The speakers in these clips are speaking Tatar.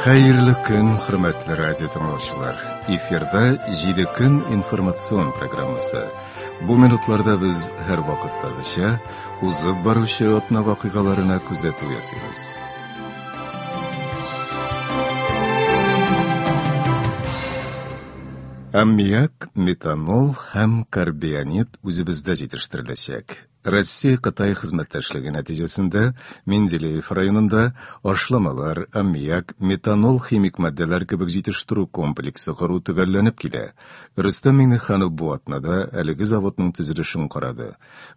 Хәерле көн, хөрмәтле радио тыңлаучылар. Эфирда 7 көн информацион программасы. Бу минутларда без һәрвакыттагыча узып баручы атна вакыйгаларына күзәтү ясыйбыз. Аммиак, метанол һәм карбионид үзебездә җитештереләчәк. Россия-Кытай хезмәттәшлеге нәтиҗәсендә Менделеев районында ашламалар, аммиак, метанол химик матдәләр кебек җитештерү комплексы кору төгәлләнеп килә. Рөстәм Миңнеханов бу атнада әлеге заводның төзелешен карады.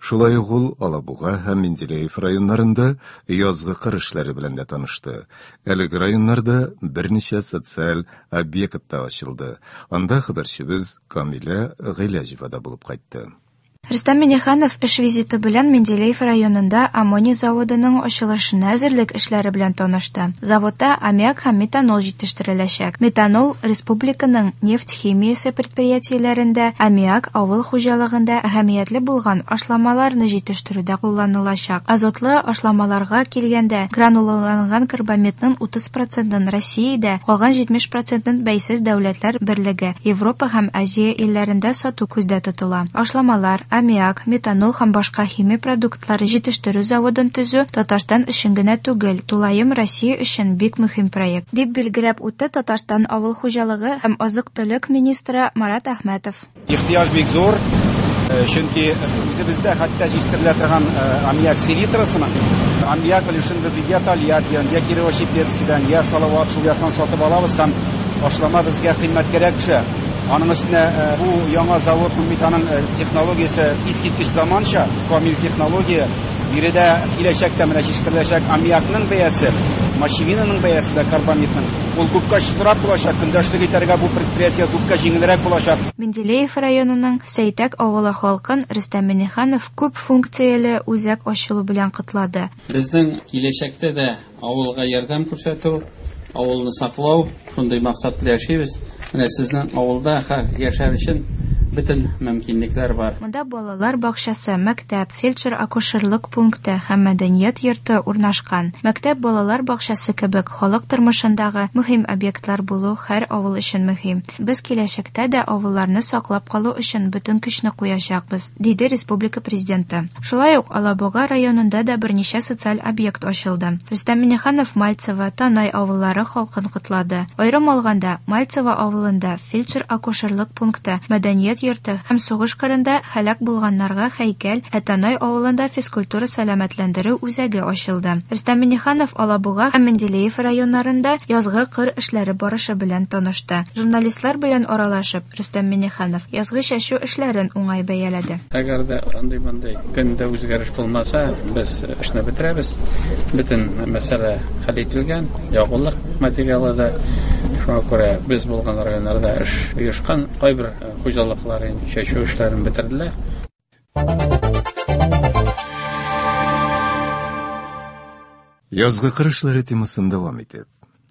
Шулай ук ул Алабуга һәм Менделеев районнарында язгы кыр эшләре белән дә танышты. Әлеге районнарда берничә социаль объект та ачылды. Анда хәбәрчебез Камилә Гыйләҗева да булып кайтты. Рөстәм Миңнеханов эш визиты белән Менделеев районында аммоний заводының ачылышына әзерлек эшләре белән танышты. Заводта аммиак һәм метанол җитештереләчәк. Метанол республиканың нефть химиясе предприятиеләрендә, аммиак авыл хуҗалыгында әһәмиятле булган ашламаларны җитештерүдә кулланылачак. Азотлы ашламаларга килгәндә, гранулаланган карбамидның 30 процентын Россиядә, калган 70 процентын Бәйсез Дәүләтләр Берлеге, Европа һәм Азия илләрендә сату күздә тотыла. Ашламалар, аммиак, метанол һәм башка химия продуктлары җитештерү заводын төзү Татарстан өчен генә түгел, тулаем Россия өчен бик мөһим проект, дип билгеләп үтте Татарстан авыл хуҗалыгы һәм азык-төлек министры Марат Әхмәтов. Ихтыяҗ бик зур, чөнки үзебездә хәтта җитештерелә торган аммиак селитрасының аммиак өлешен без я Тольяттидан, я Кирово-Чепецкидан, я Салават шул яктан сатып алабыз һәм ашлама безгә кыйммәткәрәк төшә. Аның өстенә бу яңа заводның бит аның технологиясе искиткеч заманча, камил технология. Биредә киләчәктә менә җитештереләчәк аммиакның бәясе, мочевинаның бәясе дә карбамидның, ул күпкә очсызрак булачак, көндәшлек итәргә бу предприятиегә күпкә җиңелрәк булачак. Менделеев районының Сәйтәк авылы халкын Рөстәм Миңнеханов күп функцияле үзәк ачылу белән котлады. Безнең киләчәктә дә авылга ярдәм күрсәтү, авылны саклау, шундый максат белән яшибез. Менә сезнең авылда яшәр өчен бөтен мөмкинлекләр бар. Монда балалар бакчасы, мәктәп, фельдшер-акушерлык пункты һәм мәдәният йорты урнашкан. Мәктәп, балалар бакчасы кебек халык тормышындагы мөһим объектлар булу һәр авыл өчен мөһим. Без киләчәктә дә авылларны саклап калу өчен бөтен көчне куячакбыз, диде республика Президенты. Шулай ук Алабуга районында да берничә социаль объект ачылды. Рөстәм Миңнеханов Мальцево, Танай авыллары халкын котлады. Аерым алганда, Мальцево авылында фельдшер-акушерлык пункты, мәдәният йорты һәм сугыш кырында һәлак булганнарга һәйкәл, ә Танай авылында физкультура-сәламәтләндерү үзәге ачылды. Рөстәм Миңнеханов Алабуга һәм Менделеев районнарында язгы кыр эшләре барышы белән танышты. Журналистлар белән аралашып, Рөстәм Миңнеханов язгы чәчү эшләрен уңай бәяләде. Әгәр дә андый-мондый көндә үзгәреш булмаса, без эшне бетерәбез. Бөтен мәсьәлә хәл ителгән, ягулык материалы да. Шуңа күрә без булган районнарда эш оешкан. Кайбер хуҗалыклар инде чәчү эшләрен бетерделәр. Язгы кыр эшләре темасын дәвам итеп.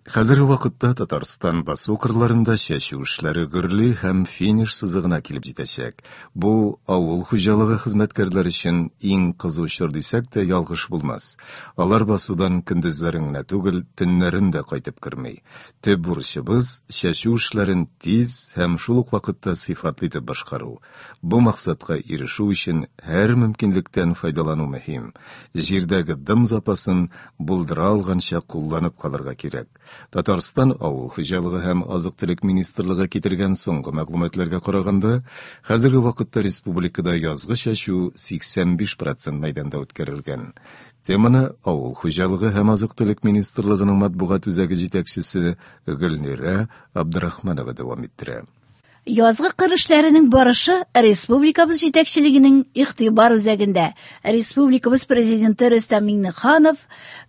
Хәзерге вакытта Татарстан басу кырларында чәчү эшләре гөрли һәм финиш сызыгына килеп җитәчәк. Бу авыл хуҗалыгы хезмәткәрләре өчен иң кызу чор дисәк тә ялгыш булмас. Алар басудан көндезләрен генә түгел, төннәрен дә кайтып керми. Төп бурычыбыз, чәчү эшләрен тиз һәм шул ук вакытта сыйфатлы итеп башкару. Бу максатка ирешү өчен һәр мөмкинлектән файдалану мөһим. Җирдәге дым запасын булдыра алганча кулланып калырга кирәк. Татарстан Авыл хуҗалыгы һәм азык-төлек министрлыгы китергән соңгы мәгълүматларга караганда, хәзерге вакытта республикада язгы чәчү 85 процент мәйданда үткәрелгән. Теманы Авыл хуҗалыгы һәм азык-төлек министрлыгының матбугат үзәге җитәкчесе Гөлнирә Абдрахманова дәвам иттерә. Язгы кыр эшләренең барышы республикабыз җитәкчелегенең игътибар үзәгендә. Республикабыз Президенты Рөстәм Миңнеханов,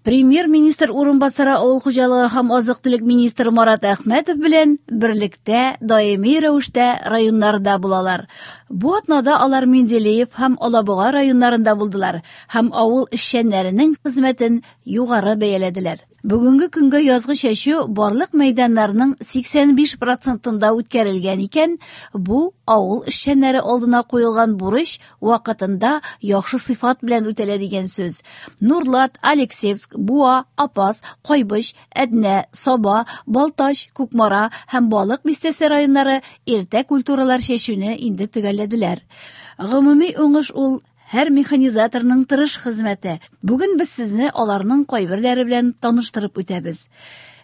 Премьер-министр урынбасары авыл хуҗалыгы һәм азык-төлек министры Марат Әхмәтов белән берлектә даими рәвештә районнарда булалар. Бу атнада алар Менделеев һәм Алабуга районнарында булдылар һәм авыл эшчәннәренең хезмәтен югары бәяләделәр. Бүгенге көнгә язгы чәчү барлык мәйданнарның 85 процентында үткәрелгән икән, икән, бу авыл эшчәннәре алдына куелган бурыч вакытында яхшы сыйфат белән үтәлә дигән сүз. Нурлат, Алексеевск, Буа, Апас, Кайбыч, Әтнә, Саба, Балтач, Кукмара һәм Балык Бистәсе районнары иртә культуралар чәчүне инде төгәлләделәр. Гомуми уңыш ул һәр механизаторның тырыш хезмәте. Бүген без сезне аларның кайберләре белән таныштырып үтәбез.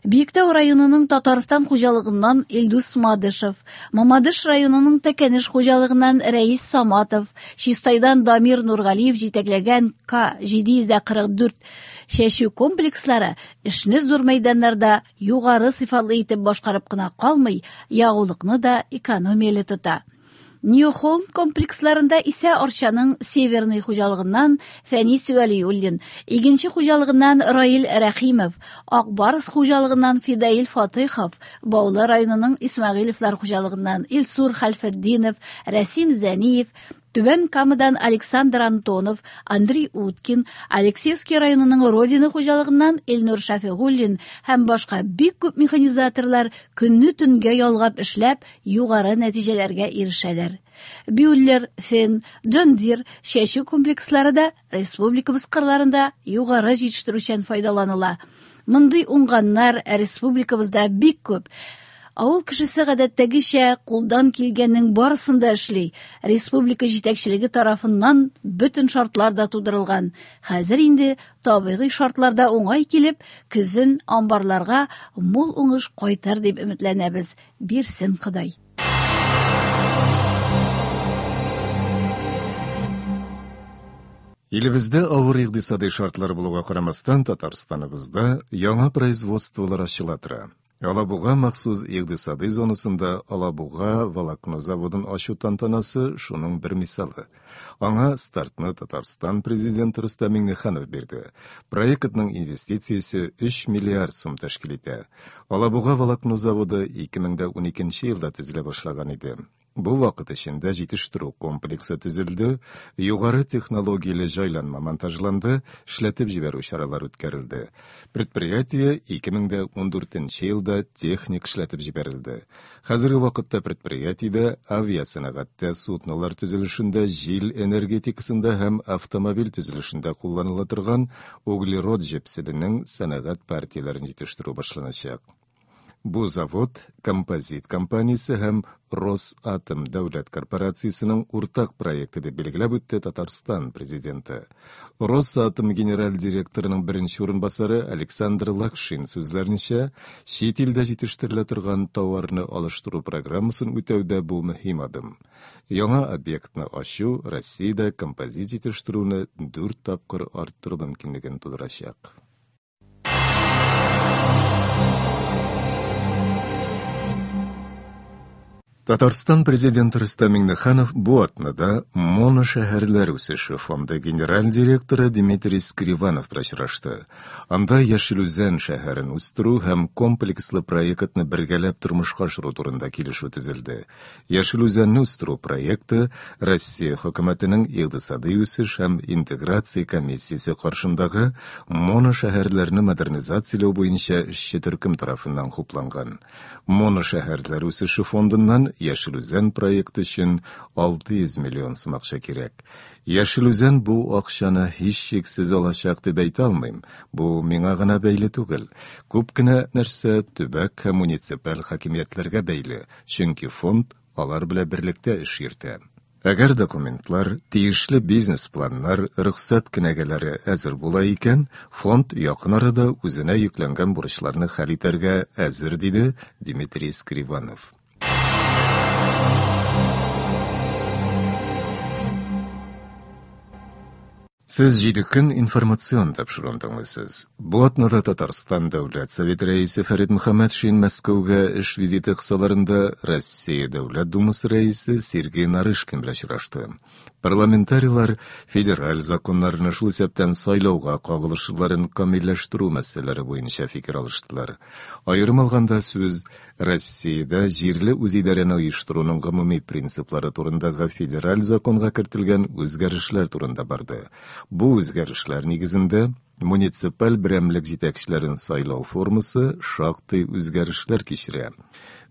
Биектау районының Татарстан хуҗалыгыннан Илдус Мадышев, Мамадыш районының Тәкәнеш хуҗалыгыннан Рәис Саматов, Чистайдан Дамир Нургалиев җитәкләгән К-744 чәчү комплекслары эшне зур мәйданнарда югары сыйфатлы итеп башкарып кына калмый, ягулыкны да экономияле тота. Нью-Холм комплексларында исә Арчаның Северный хуҗалыгыннан Фәнис Вәлиуллин, Игенче хуҗалыгыннан Раил Рәхимов, Ак Барс хуҗалыгыннан Фидаил Фатыйхов, Баулы районының Исмәгыйлевлар хуҗалыгыннан Илсур Хәлфетдинов, Рәсим Зәниев, Түбән Камадан Александр Антонов, Андрей Уткин, Алексеевский районының Родина хуҗалыгыннан Илнур Шәфигуллин һәм башка бик күп механизаторлар көнне төнгә ялгап эшләп, югары нәтиҗәләргә ирешәләр. Бюллер, Фен, Джон Дир чәчү комплекслары да республикабыз кырларында югары җитештерүчән файдаланыла. Мондый уңганнар республикабызда бик күп. Авыл кешесе гадәттәгечә кулдан килгәннең барысын да эшли. Республика җитәкчелеге тарафыннан бөтен шартлар да тудырылган. Хәзер инде табигый шартлар да уңай килеп, көзен амбарларга мул уңыш кайтыр дип өметләнәбез. Бирсен Ходай. Илебездә авыр икътисадый шартлар булуга карамастан, Татарстаныбызда яңа производстволар ачыла тора. Алабуга махсус икътисадый зонасында Алабуга волокно заводын ачу тантанасы шуның бер мисалы. Аңа стартны Татарстан президенты Рөстәм Миңнеханов бирде. Проектның инвестициясе 3 миллиард сум тәшкил итә. Алабуга волокно заводы 2012 елда төзелә башлаган иде. Бу вакыт эчендә җитештерү комплексы төзелде, югары технологияле җайланма монтажланды, эшләтеп җибәрү чаралары үткәрелде. Предприятие 2014 елда техник эшләтеп җибәрелде. Хәзерге вакытта предприятиедә авиасәнәгатьтә, суднолар төзелешендә, җил энергетикасында һәм автомобиль төзелешендә кулланыла торган углерод җепселенең сәнәгать партияләрен җитештерү башланачак. Бу завод Композит компаниясе һәм Росатом дәүләт корпорациясенең уртак проекты дип билгеләп үтте Татарстан президенты. Росатом генераль директорының беренче урынбасары Александр Лакшин сүзләренчә, чит илдә җитештерелә торган товарны алыштыру программасын үтәүдә бу мөһим адым. Яңа объектны ачу Россиядә композит җитештерүне дүрт тапкыр арттыру мөмкинлеген тудырачак. Татарстан президенты Рөстәм Миңнеханов бу атнада Моношәһәрләр үсеше фонды генераль директоры Дмитрий Скриванов белән очрашты. Анда Яшел Үзән шәһәрен үстерү һәм комплекслы проектны бергәләп тормышка ашыру турында килешү төзелде. Яшел Үзәнне үстерү проекты Россия хөкүмәтенең икътисадый үсеш һәм интеграция комиссиясе каршындагы моношәһәрләрне модернизацияләү буенча эшче төркем тарафыннан хупланган. Моношәһәрләр үсеше фондыннан Яшел Үзән проекты өчен 600 миллион сум акча кирәк. Яшел Үзән бу акчаны һичшиксез алачак дип әйтә алмыйм. Бу миңа гына бәйле түгел. Күп кенә нәрсә төбәк һәм муниципаль хакимиятләргә бәйле, чөнки фонд алар белән берлектә эш йөртә. Әгәр документлар, тиешле бизнес-планнар, рөхсәт кенәгәләре әзер була икән, фонд якын арада үзенә йөкләнгән бурычларны хәл итәргә әзер, диде Дмитрий Скриванов. Сез Җиде көн информацион тапшыруын тыңлыйсыз. Бу атнада Татарстан Дәүләт Советы Рәисе Фәрит Мөхәммәтшин Мәскәүгә эш визиты кысаларында Россия Дәүләт Думасы Рәисе Сергей Нарышкин белән очрашты. Парламентарийлар федераль законнарны, шул исәптән сайлауга кагылышлыларын камилләштерү мәсьәләләре буенча фикер алыштылар. Аерым алганда, сүз Россиядә җирле үзидарәне оештыруның гомуми принциплары турындагы федераль законга кертелгән үзгәрешләр турында барды. Бу үзгәрешләр нигезендә муниципаль берәмлек җитәкчеләрен сайлау формасы шактый үзгәрешләр кичерә.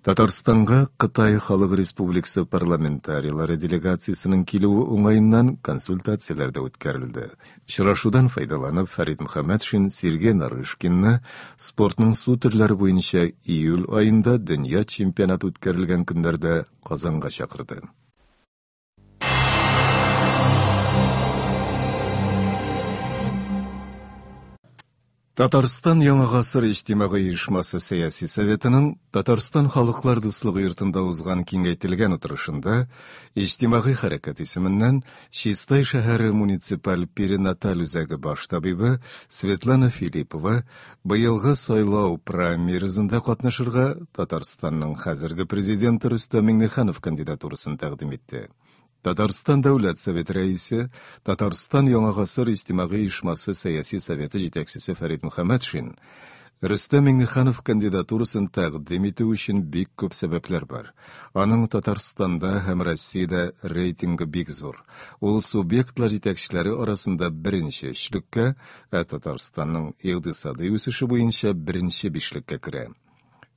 Татарстанга Кытай Халык Республикасы парламентарийлары делегациясенең килүе уңаеннан консультацияләр дә үткәрелде. Очрашудан файдаланып, Фәрит Мөхәммәтшин Сергей Нарышкинны спортның су төрләре буенча июль аенда дөнья чемпионаты үткәрелгән көннәрдә Казанга чакырды. Татарстан Яңа гасыр иҗтимагый оешмасы сәяси советының Татарстан Халыклар дуслыгы йортында узган киңәйтелгән утырышында иҗтимагый хәрәкәт исеменнән Чистай шәһәре муниципаль перинаталь үзәге баш табибы Светлана Филиппова быелгы сайлау праймеризында катнашырга Татарстанның хәзерге президенты Рөстәм Миңнеханов кандидатурасын тәкъдим итте. Татарстан Дәүләт Советы Рәисе, Татарстан Яңа гасыр иҗтимагый оешмасы сәяси советы җитәкчесе Фәрит Мөхәммәтшин Рөстәм Миңнеханов кандидатурасын тәкъдим итү өчен бик күп сәбәпләр бар. Аның Татарстанда һәм Россиядә рейтингы бик зур. Ул субъектлар җитәкчеләре арасында беренче өчлеккә, ә Татарстанның икътисадый үсеше буенча беренче бишлеккә керә.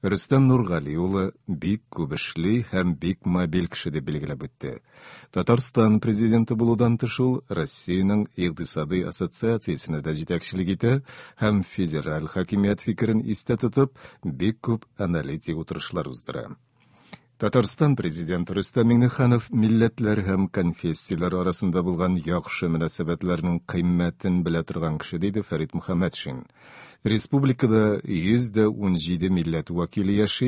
Рөстәм Нургали улы бик күп эшли һәм бик мобиль кеше дип билгеләп үтте. Татарстан президенты булудан тыш ул Россиянең икътисадый ассоциациясенә дә җитәкчелек итә һәм федераль хакимият фикерен истә тотып, бик күп аналитик утырышлар уздыра. Татарстан президенты Рөстәм Миңнеханов милләтләр һәм конфессияләр арасында булган яхшы мөнәсәбәтләрнең кыйммәтен белә торган кеше, диде Фәрит Мөхәммәтшин. Республикада 117 милләт вәкиле яши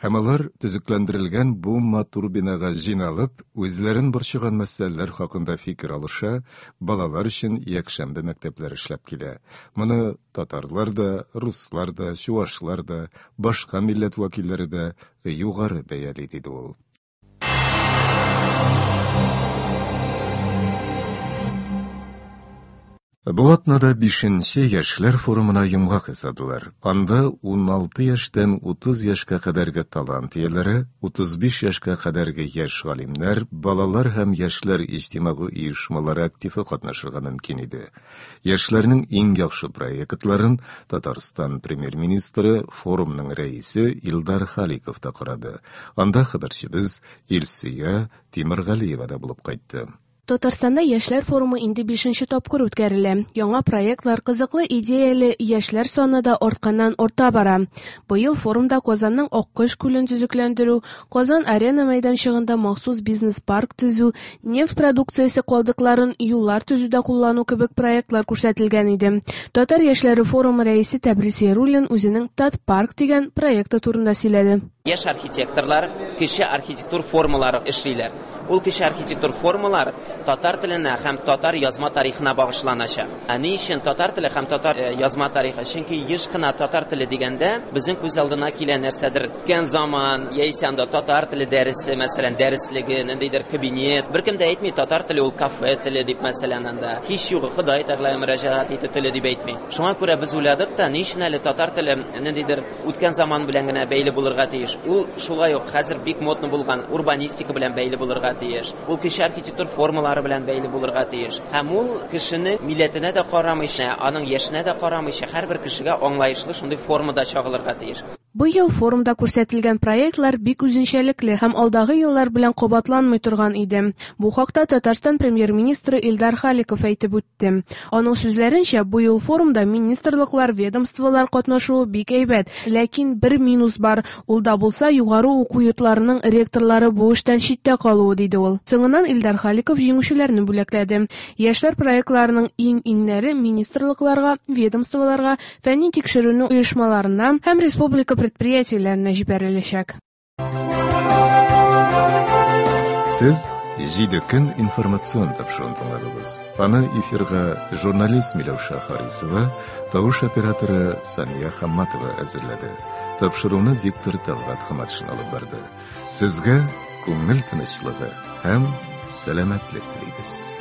һәм алар төзекләндерелгән бу матур бинага җыйналып, үзләрен борчыган мәсьәләләр хакында фикер алыша, балалар өчен якшәмбе мәктәпләре эшләп килә. Моны татарлар да, руслар да, чуашлар да, башка милләт вәкилләре дә югары бәяли, диде ул. Бу атнада бишенче яшьләр форумына йомгак ясадылар. Анда 16 яшьтән 30 яшькә кадәрге талант ияләре, 35 яшькә кадәрге яшь галимнәр, балалар һәм яшьләр иҗтимагый оешмалары активы катнашырга мөмкин иде. Яшьләрнең иң яхшы проектларын Татарстан премьер-министры, форумның рәисе Илдар Халиков та карады. Анда хәбәрчебез Илсөя Тимергалиева да булып кайтты. Татарстанда яшьләр форумы инде бишенче тапкыр үткәрелә. Яңа проектлар, кызыклы идеяле яшьләр саны да артканнан арта бара. Быел форумда Казанның Аккош күлен төзекләндерү, Казан-Арена мәйданчыгында махсус бизнес-парк төзү, нефть продукциясе калдыкларын юллар төзүдә куллану кебек проектлар күрсәтелгән иде. Татар яшьләре форумы рәисе Тәбрис Яруллин үзенең Татпарк дигән проекты турында сөйләде. Яшь архитекторлар кече архитектур формалары эшлиләр. Ул кече архитектур формалар татар теленә һәм татар язма тарихына багышланачак. Ә ни өчен татар теле һәм татар язма тарихы? Чөнки еш кына татар теле дигәндә безнең күз алдына килә нәрсәдер үткән заман, яисә анда татар теле дәресе, мәсәлән, дәреслеге, ниндидер кабинет. Беркем дә әйтми, татар теле ул кафе теле дип, мәсәлән, анда. Һич югы Ходай Тәгаләгә мөрәҗәгать итү теле дип әйтми. Шуңа күрә без уйладык та, ни өчен әле татар теле ниндидер үткән заман белән генә бәйле булырга тиеш? Ул шулай ук хәзер бик модно булган урбанистика белән бәйле булырга тиеш. Ул кече архитектур формалары белән бәйле булырга тиеш. Һәм ул кешенең милләтенә дә карамыйча, аның яшенә дә карамыйча, һәрбер кешегә аңлаешлы шундый формада чагылырга тиеш. Быел форумда күрсәтелгән проектлар бик үзенчәлекле һәм алдагы еллар белән кабатланмый торган иде. Бу хакта Татарстан Премьер-министры Илдар Халиков әйтеп үтте. Аның сүзләренчә, быел форумда министрлыклар, ведомстволар катнашуы бик әйбәт. Ләкин бер минус бар, ул да булса югары уку йортларының ректорлары бу эштән читтә калуы, диде ул. Соңыннан Илдар Халиков җиңүчеләрне бүләкләде. Яшьләр проектларының иң-иңнәре министрлыкларга, ведомстволарга, фәнни тикшеренү оешмаларына һәм республика предприятиеләренә җибәреләчәк. Сез Җиде көн информацион тапшыруын тыңладыгыз. Аны эфирга журналист Миләүшә Харисова, тавыш операторы Сания Хамматова әзерләде. Тапшыруны диктор Талгат Хаматшин алып барды. Сезгә күңел тынычлыгы һәм сәламәтлек телибез.